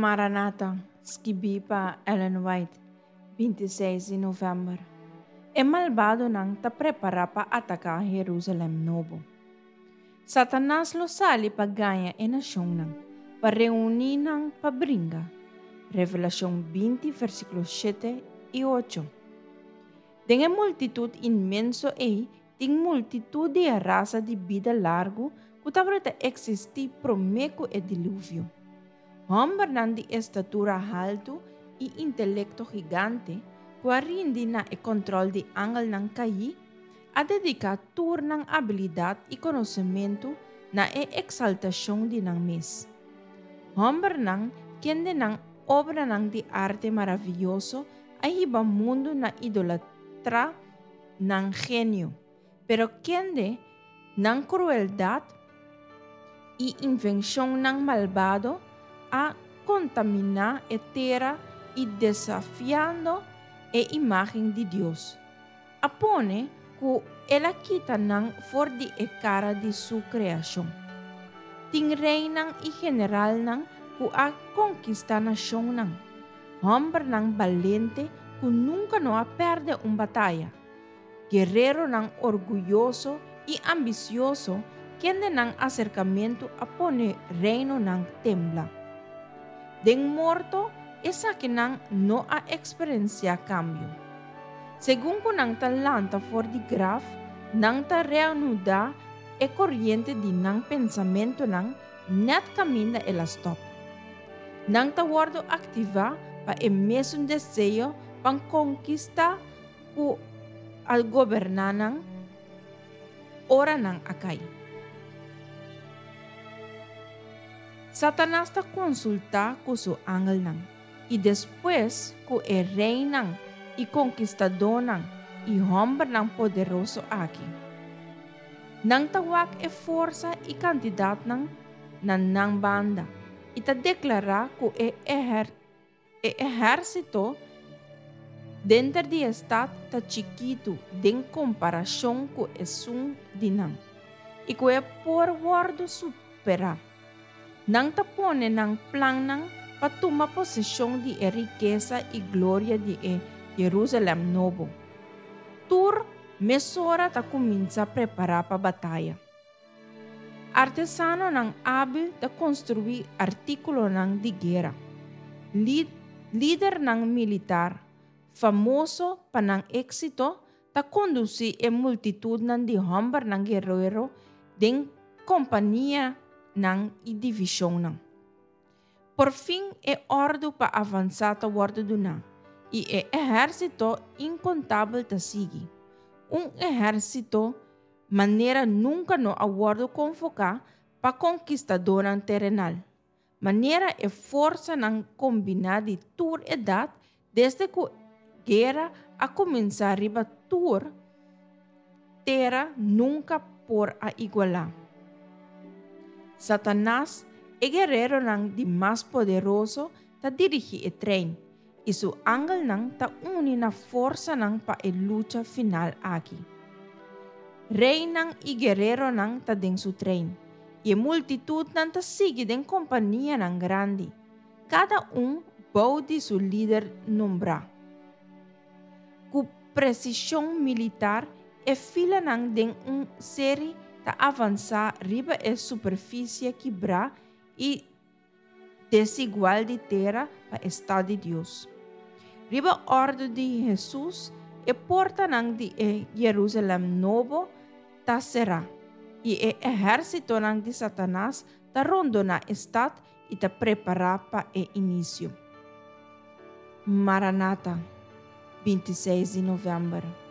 Maranata, skibí pa Ellen White, 26 di novèmber. E malbadonan ta prepará pa ataká Herúsalèm Nobo. Satanas lo sali pa gaña e nashonnan, pa reuní nan pa bringa. Revelashon 20, versíkulo 7 i 8. Den e multitut inmenso ei tin multitut di e rasa di bida largu ku tabata eksistí promé ku e Diluvio. Hòmbernan di estatura haltu i intelekto gigante ku a rindi na e kòntròl di angelnan kaí, a dediká tur nan abilidat i konosementu na e eksaltashon di nan mes. Hòmbernan kende nan obranan di arte maravioso a hiba mundu na idolatrá nan genio, pero kende nan krueldat i invenshonnan malbado a kontaminá e tera i desafiando e imágen di Dios, a pone ku el a kita nan for di e kara di su kreashon. Tin reinan i generalnan ku a konkistá nashonnan, hòmbernan balente ku nunka no a pèrdè un bataya, guereronan orguyoso i ambisioso kende nan aserkamentu a pone reinonan tembla. Den morto esakinan no a eksperensiá kambio. Segun ku nan ta lanta for di graf, nan ta reanudá e koriente di nan pensamentunan nèt kaminda el a stòp. Nan ta wòrdu aktivá pa e mesun deseo pa konkistá ku a goberná nan ora nan a kai. Satanas ta konsultá ku su angelnan i despues ku e reinan i konkistadónan i hòmbernan poderoso aki. Nan ta wak e forsa i kantidatnan na nan banda i ta deklará ku e e ehérsito denter di e stat ta chikitu den komparashon ku esun di nan i ku e por wòrdu superá. Nan ta pone nan plannan pa tuma poseshon di e rikesa i gloria di e Yerúsalèm Nobo. Tur mesora ta kuminsá prepará pa bataya. Artesanonan ábil ta konstruí artíkulonan di guera. Lidernan militar, famoso pa nan éksito, ta kondusí e multitutnan di hòmbernan guerero den kompanianan i divishonnan. Por fin e òrdu pa avansá ta wòrdu duná, i e ehérsito inkontabel ta sigui. Un ehérsito manera nunka no a wòrdu konvoká pa konkistadónan terenal, manera e forsanan kombiná di tur edat desde ku guera a kuminsá riba tur tera nunka por a igualá. Satanas, e guereronan di mas poderoso, ta dirigí e trein, i su angelnan ta uni na forsanan pa e lucha final aki. Reinan i guereronan ta den su trein, i e multitutnan ta sigui den kompanianan grandi, kada un bou di su lider nombrá. Ku presishon militar, e filanan den un seri ta avansá riba e superfisie kibrá i desigual di tera pa e stat di Dios. Riba òrdu di Hesus, e portanan di e Yerúsalèm Nobo ta será, i e ehérsitonan di Satanas ta rondoná e stat i ta prepará pa e inisio. Maranata, 26 di novèmber.